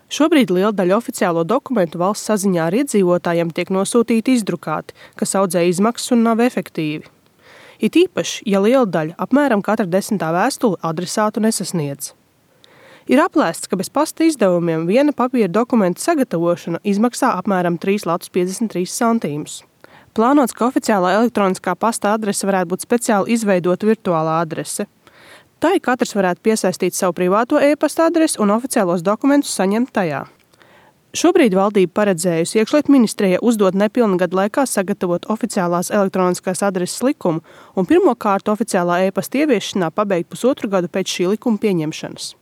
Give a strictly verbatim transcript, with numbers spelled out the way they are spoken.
Šobrīd liela daļa oficiālo dokumentu valsts saziņā ar iedzīvotājiem tiek nosūtīti izdrukāti, kas audzē izmaksas un nav efektīvi. It īpaši, ja liela daļa, apmēram katra desmitā vēstule, adresātu nesasniedz. Ir aplēsts, ka bez pasta izdevumiem viena papīra dokumenta sagatavošana izmaksā apmēram trīs latus piecdesmit trīs centus. Plānots, ka oficiālā elektroniskā pasta adrese varētu būt speciāli izveidota virtuālā adrese. Tai katrs varētu piesaistīt savu privāto e-pasta adresi un oficiālos dokumentus saņemt tajā. Šobrīd valdība paredzējusi Iekšlietu ministrijai uzdot nepilna gada laikā sagatavot oficiālās elektroniskās adreses likumu un pirmo kārtu oficiālā e-pasta ieviešanā pabeigt pusotru gadu pēc šī likuma pieņemšanas.